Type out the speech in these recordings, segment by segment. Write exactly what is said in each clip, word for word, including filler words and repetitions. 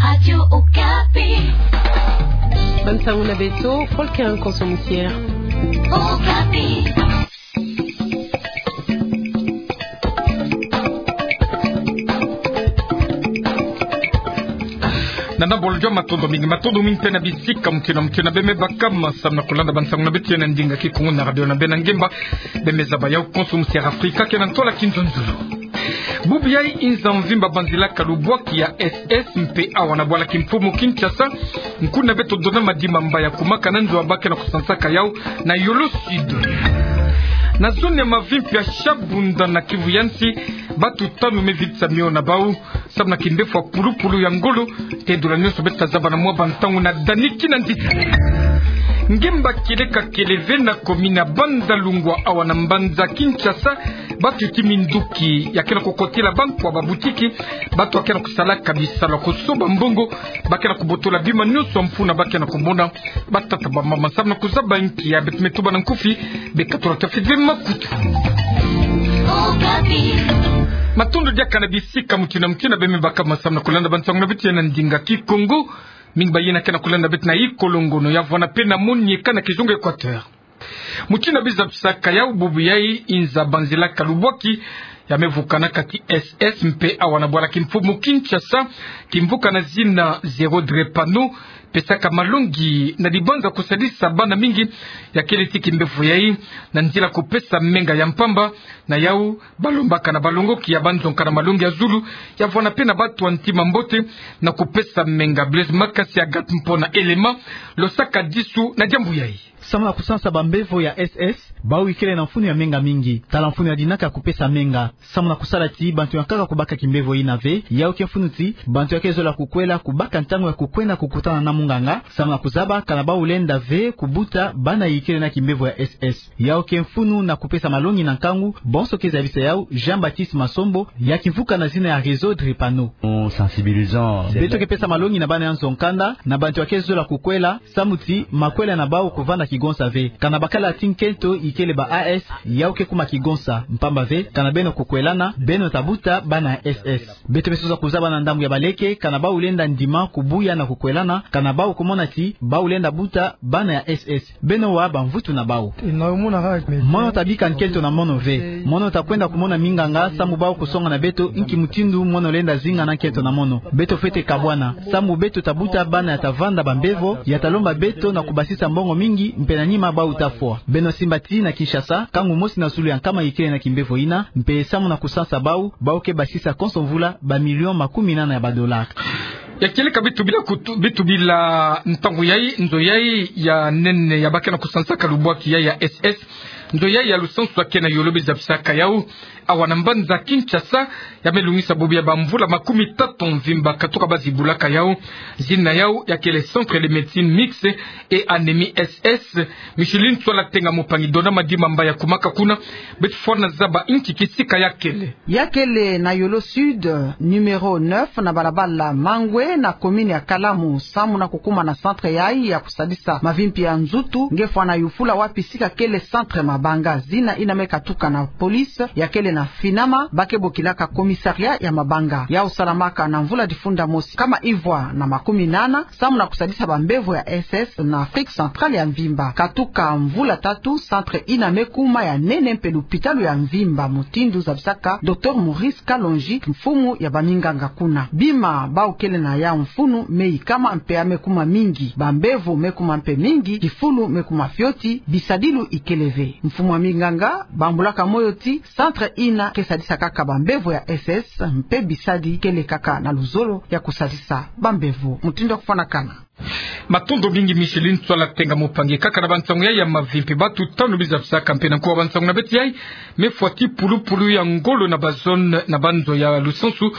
Radio Okapi. Bansangu na beto, Paul Kerin Konso Mutier. Okapi. Nana Bolodjwa, matondo mingi, matondo mingi mpe na bisika mutio na mutio na bemebaka ma samu na kulanda bansangu na beto ya na ndinga Kikongo na radio na beno ngemba. Bemezaba yau Konso Mutier Afrika, ke na ntola kinzonzolo. Bubu yai inza mvimba banzilaka lubwaki ya S S mpe awa na bwala kimfumu Kinshasa, nkuna beto Dona Madimba Mbayaku Maka na nzo a ba ke na kusansaka yau na Yolo Sud. Na zone ya mavimpi ya Shabunda na Kivu ya nsi, batu tanu me vitisa mio na bau samu na kimbevo ya pulupulu ya ngolo. Tedula nionso beto ta zaba na mwa bantangu na Dani Kinanzita. Ngemba kieleka kieleve na komini ya Bandalungwa awa na mbanza Kinshasa, batu ti minduki ya ke na kukotila bankwa, babutiki, batu ya ke na kusalaka bisalu ya kusoba mbongo, ba ke na kubotola bima nionso ya mfunu ba ke na kumona. Batata, bamama, samu na kuzaba nki ya beto me tuba na nkufi, beka tula tafiti makutu. Matondo diaka na bisika mutio na mutio na bemebaka ma samu na kulanda bansangu na beto ya na ndinga Kikongo. Mingi bayina ke na kulanda beto na Ikolongono ya vwanda mpe na Monieka na kizunga Equateur. Mutindu bizapisaka yau, bubu yai inza banzilaka lubwaki ya me vukana kati S S mpe awa na bwala kimfumu Kinshasa, kimvuka na zina Zéro Drépano, pesaka malongi na dibanza kusadisa bana mingi. Ya kele ti kimbevo yai na nzila kupesa menga ya mpamba. Na yau, balombaka na balongoki ya banzonka na malongi ya zulu, ya vwanda mpe na batu ya ntima mbote na kupesa menga. Blaise Makasi Agathe Mpona Elema, losaka disu na diambu yai. Samu na kusansa bambevo ya S S, bau ikele na mfunu ya menga mingi. Tala mfunu ya dinaka ya kupesa menga. Samu na kusala ti bantu ya nkaka kubaka kimbevo yina ve, yau ke mfunu ti bantu ya ke zola kukwela kubaka ntangu ya kukwenda kukutana na munganga, samu na kuzaba kana bau lenda ve kubuta bana ikele na kimbevo ya S S. Yau ke mfunu na kupesa malongi na nkangu, bonso ke zabisa yau Jean-Baptiste Masombo, ya kimvuka na zina ya Réseau Drépano. Beto ke pesa malongi na bana ya nzo-nkanda, na bantu ya ke zola kukwela, samu ti makwela na bau kuvanda kigonsa ve. Kana bakala ti nkento ikele ba A S, yau ke kuma kigonsa, mpamba ve kana beno kukwelana, beno ta buta bana ya S S. Beto me sosa kuzaba na ndambu ya baleke, kana bau lenda ndima kubuya na kukwelana, kana bau kumona ti bau lenda buta bana ya S S. Beno wa bamvutu na bau. Mono ta bika nkento na mono ve. Mono ta kwenda kumona minganga, samu bau kusonga na beto nki mutindu mono lenda zinga na nkento na mono. Beto fwete kabwana, samu beto ta buta bana ya ta vanda bambevo, ya ta lomba beto na kubasisa mbongo mingi, mpe na nima bau ta fwa. Beno simba ti na Kinshasa, nkangu mosi na zulu ya nkama ikele na kimbevo yina, mpe samu na kusansa bau, bau ke basisa konso mvula ba millions makumi nana ya ba dollars. Ya kieleka bitu bila kutu, bitu bila ntangu yai, nzo yai ya nene ya ba ke na kusansaka lubwaki yai ya S S, nzo yai ya lusansu ya ke na yolo bizapisaka yau, awa na mbanza Kinshasa, ya me lungisa bubu ya bamvula makumi tatu mvimba katuka ba zibulaka yau. Zina yau ya kele Centre de Médecine Mixte et Anémie S S. Micheline Tswala Tenga Mupangi, Dona Madimba Mbayaku Maka kuna, beto fwana zaba nki kisika ya kele. Ya kele na Yolo Sud, numéro neuf, na balabala Mangwe, na commune ya Kalamu, samu na kukuma na centre yai ya kusadisa mavimpi ya nzutu, nge fwana yufula wapi sika kele centre Mabanga. Zina yina me katuka na police, ya kele na Finama, ba ke bokilaka commissariat ya Mabanga. Yau salamaka na mvula difunda mosi nkama ivwa na makumi nana, samu na kusadisa bambevo ya S S na Afrique Centrale ya mvimba. Katuka mvula tatu, centre yina me kuma ya nene mpe lupitalu ya mvimba, mutindu zabisaka Docteur Maurice Kalonji, mfumu ya baminganga kuna. Bima bau kele na yau mfunu me ikama mpe ya me kuma mingi. Bambevo me kuma mpe mingi, kifulu me kuma fioti, bisadilu ikele ve. Mfumu ya minganga bambulaka moyo ti centre yina ke sadisa kaka bambevo ya S S, mpe bisadi kele kaka na luzolo ya kusadisa bambevo. Mutindu ya kufwanakana. Matondo mingi Micheline Tswala Tenga Mupangi. Kaka na bansangu yai ya mavimpi, batu tanu bizapisaka mpe na nkuwa bansangu na beto yai, me fwa ti pulupulu ya ngolo na bazone na banzo ya lusansu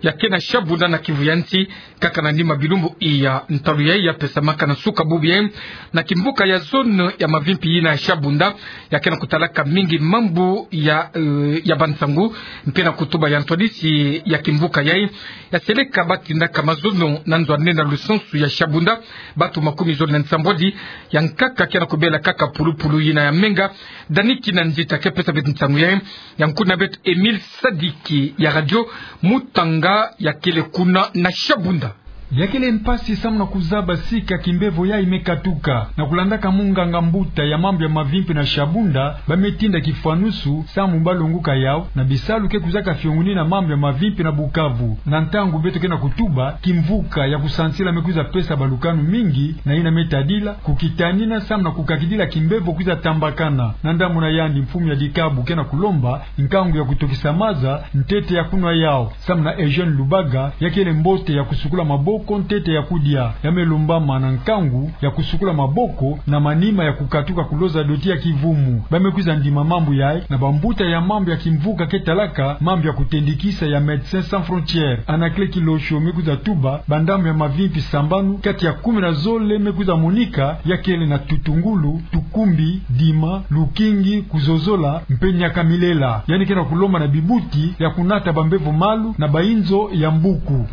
ya ke na Shabunda na Kivu ya nsi. Kaka na nima bilumbu iya, ntalu yai ya pesamaka na suka bubu yai na kimvuka ya zone ya mavimpi yina ya Shabunda, ya ke na kutalaka mingi mambu ya, eh, ya bansangu, mpe na kutuba ya ntwadisi ya kimvuka yai, ya seleka ba tindaka mazono na nzo ya nene na lusansu ya Shabunda, batu makumi zole na nsambwadi ya nkaka ke na kubela kaka pulupulu yina ya menga. Dani Kinanzita ke pesa beto nsangu yai, ya nkuna beto Emile Sadiki ya radio Mutanga ya kele kuna na Shabunda. Ya kele mpasi samu na kuzaba sika kimbevo yayi me katuka. Na kulandaka munganga mbuta ya mambu ya mavimpi na Shabunda, ba me tinda kifwanusu samu ba longuka yawu na bisalu ke kwizaka fiongunina mambu ya mavimpi na Bukavu. Na ntangu beto ke na kutuba, kimvuka ya kusansila me kwiza pesa balukanu mingi, na yina me tadila kukitanina samu na kukakidila kimbevo kwiza tambakana. Na ndambu na yandi, mfumu ya dikabu ke na kulomba nkangu ya kutokisa maza, ntete ya kunwa yawu. Samu na Eugène Lubaga, ya kele mbote ya kusukula maboko ntete ya kudia. Ya me lombama na nkangu ya kusukula maboko na manima ya kukatuka kuloza doti ya kivumu. Ba me kwiza ndima mambu yayi na bambuta ya mambu ya kimvuka ke talaka mambu ya kutendikisa ya Médecins Sans Frontières. Anaclet Kilosho me kwiza tuba bandambu ya mavimpi sambanu kati ya kumi na zole me kwiza monika, ya kele na tutungulu, tukumbi, dima, lukingi, kuzozola, mpe nyakamilela. Yandi ke na kulomba na bibuti ya kunata bambevo malu na bayinzo ya mbuku.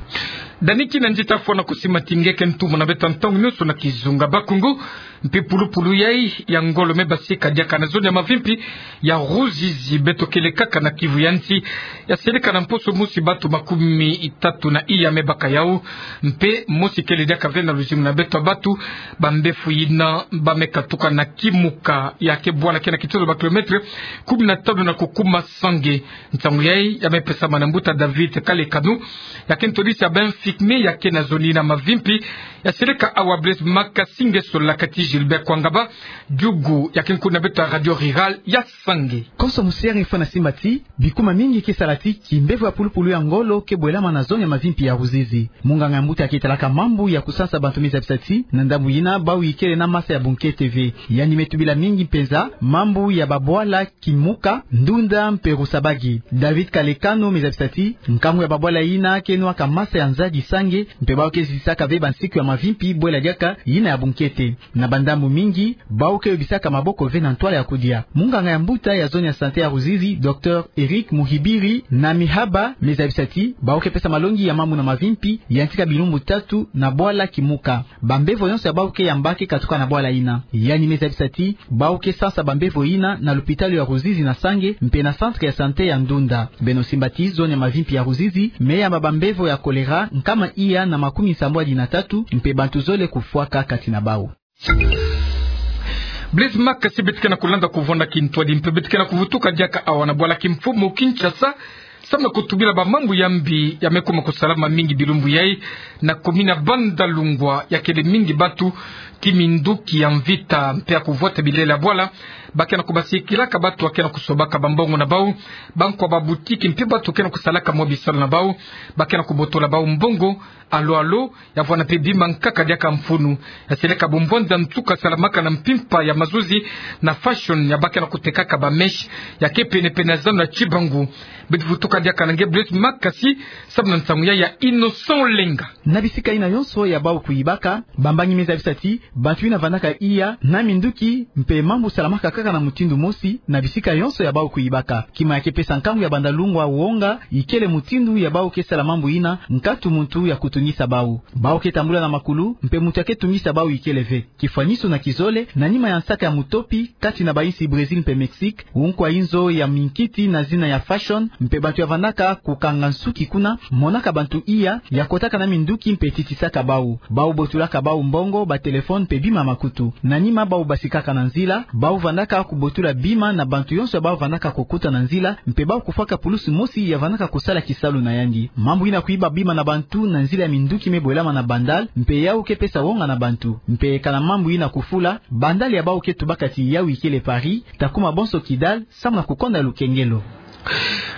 Dani kina nzita fwana kusimatinge ke ntumu na beto ntangu nyonso na kizunga Bakongo. Mpi pulupulu yayi ya ngolo me basika diaka na zone ya mavimpi ya Ruzizi, beto kele kaka na Kivu ya nsi. Ya seleka na mposo mosi, batu makumi tatu na iya me baka yawu. Mpe mosi kele diaka ve na luzingu na beto ya batu. Bambevo yina ba me katuka na Kimuka, ya ke bwala ke na kitoto ba kilomètre kumi na tanu na kukuma Sange. Nsangu yayi ya me pesama na mbuta David Kalekano, ya ke ntwadisi ya ba infirmier ya ke na zone yina mavimpi. Ya seleka awa Blaise Makasi nge solaka ti Gilbert Kwangaba, diugu ya ke nkuna beto ya Radio Rurale ya Sange. Konso musiari fwana simba ti bikuma mingi ke sala ti kimbevo ya pulupulu ya ngolo ke bwelama na zone ya mavimpi ya Ruzizi. Munganga ya mbuta ya ke talaka mambu ya kusansa bantu me zabisa ti na ndambu yina bawu ikele na masa ya bunkete ve. Yandi me tubila mingi mpenza mambu ya babwala Kimuka, Ndunda mpe Rusabagi. David Kalekano me zabisa ti nkangu ya babwala yina ke nwaka masa ya nzadi Sange, mpe bawu ke zizisaka ve bansiku ya mavimpi bwela diaka yina ya bunkete. Na bandambu mingi, bawu ke yobisaka maboko ve na ntwala ya kudia. Munganga ya mbuta ya zone ya santé ya Ruzizi, Docteur Eric Muhibiri na Mihaba, me zabisa ti bawu ke pesa malongi ya mambu na mavimpi yantika bilumbu tatu na bwala Kimuka. Bambevo yonso ya bawu ke yamba ke katuka na bwala yina. Yandi me zabisa ti bawu ke sansa bambevo yina na lupitalu ya Ruzizi na Sange mpe na centre ya santé ya Ndunda. Beno simba ti zone ya mavimpi ya Ruzizi me yamba bambevo ya choléra nkama iya na makumi nsambwadi na tatu, mpe bantu zole kufwaka kati na bawu. Blaise Makasi, beto ke na kulanda kuvwanda kintwadi mpe beto ke na kuvutuka diaka awa na bwala kimfumu Kinshasa, samu na kutubila bamambu ya mbi ya me kuma kusalama mingi bilumbu yayi na commune ya Bandalungwa. Ya kele mingi batu, kiminduki ya mvita mpe ya kuvwata bilele ya bwala, ba ke na kubasikilaka batu ba ke na kusobaka bambongo na bawu, bankwa babutiki mpe batu ke na kusalaka mwa bisalu na bawu, ba ke na kubotola bawu mbongo. Alo alo, ya vwanda mpe bima nkaka diaka mfunu. Ya seleka bumbwanza nsuka salamaka na mpimpa ya mazuzi na fashion ya ba ke na kutekaka bamèche, ya ke pene-pene ya zando ya Tshibangu. Beto vutuka diaka na nge Blaise Makasi samu na nsangu yayi ya Innocent Lenga. Na bisika yina yonso ya bawu kuyibaka, bambangi me zabisa ti bantu yina vandaka iya na minduki mpe mambu salamaka kaka na mutindu mosi na bisika yonso ya bawu kuyibaka. Kima ya ke pesa nkangu ya Bandalungwa wonga ikele mutindu ya bawu ke sala mambu yina, nkatu muntu ya kutungisa bawu. Bawu ke tambula na makulu, mpe muntu ya ke tungisa bawu ikele ve. Kifwanisu na kizole, na nima ya nsaka ya mutopi kati na bayinsi Brésil mpe Mexique, unkwa inzo ya minkiti na zina ya fashion mpe bantu ya vandaka kukanga nsuki kuna, monaka bantu iya ya kotaka na minduki mpe titisaka bawu. Bawu botulaka bawu mbongo, batelefone mpe bima makutu. Na nima bawu basikaka na nzila, bawu vandaka kubotula bima na bantu yonso ya bawu vandaka kukuta na nzila, mpe bawu kufwaka pulusu mosi ya vandaka kusala kisalu na yandi. Mambu yina kuyiba bima na bantu na nzila ya minduki me bwelama na Bandal, mpe yawu ke pesa wonga na bantu. Mpe kana mambu yina kufula, Bandal ya bawu ke tubaka ti yawu ikele pari, ta kuma bonso Kidal samu na kukonda lukengelo.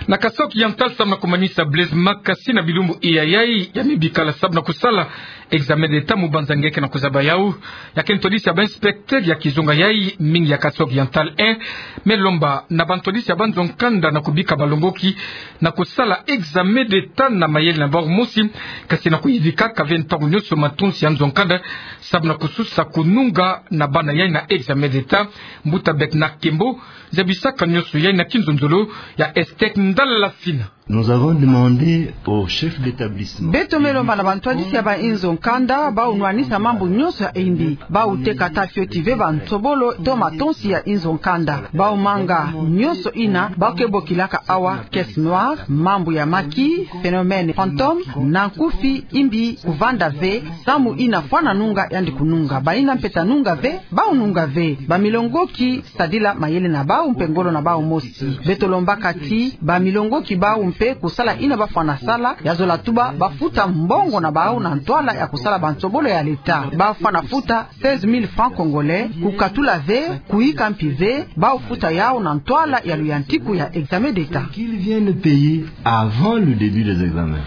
Na Kasaï Oriental, samu na kumanisa, Blaise Makasi na bilumbu iya yayi ya me bikala samu na kusala examen d'État, mubanza nge ke na kuzaba yawu. Ya ke ntwadisi ya ba inspecteur ya kizonga yayi mingi ya Kasaï Oriental un me lomba na bantwadisi ya banzo-nkanda na kubika balongoki na kusala examen d'État na mayele na bawu mosi, kasi na kuyidikaka ve ntangu nyonso matonsi ya nzo-nkanda samu na kususa kununga na bana yayi na examen d'État. Mbuta Bernard Kembo zabisaka nyonso yayi na kinzonzolo ya Estec Ndala Sina. Nous avons demandé au chef d'établissement. Beto me lomba na bantwadisi ya bainzo nkanda, bau nwanisa mambu nyonso ya imbi, bau teka ata fioti ve bansobolo to matonsi ya inzo nkanda. Bau manga nyonso ina bau ke bokilaka awa caisse noire, mambu ya maki, phénomène fantôme, na nkufi imbi kuvanda ve, samu ina fwana nunga yandi kununga. Baina mpe ta nunga ve, bau nunga ve. Bamilongoki sadila mayele na bau mpe ngolo na bau mosi. Beto lombaka ti bamilongoki bau mpe kusala ina bafwana sala, ya zola tuba bafuta mbongo na bau na ntwala ya kusala bansobolo ya leta. Bafwana futa seize mille francs congolais, kukatula ve, kuyika mpi ve, bau futa yau na ntwala ya luyantiku ya examen d'État. Qu'ils viennent payer avant le début des examens.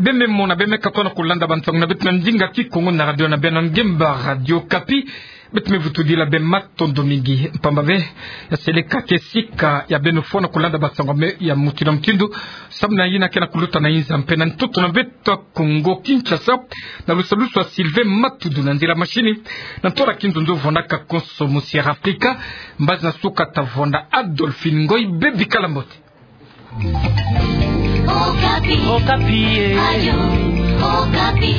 Beno me mona, beno me katona kulanda bansangu na beto na ndinga Kikongo na radio na beno ngemba Radio Okapi. Beto me vutudila beno matondo mingi mpamba ve ya seleka ke sika ya beno fwana kulanda bansangu ya mutindu na mutindu, samu na yina ke na kuluta na inza mpe na ntoto na beto Kongo Kinshasa, na lusalusu ya Sylvain Matudu na nzila mashini, na ntwala kinzonzo vwandaka konso mu Sierra Africa, mbazi na suka ta vwanda Adolphine Ngoy. Beno bikala mbote. Okapi. Okapi, eh. Radio Okapi.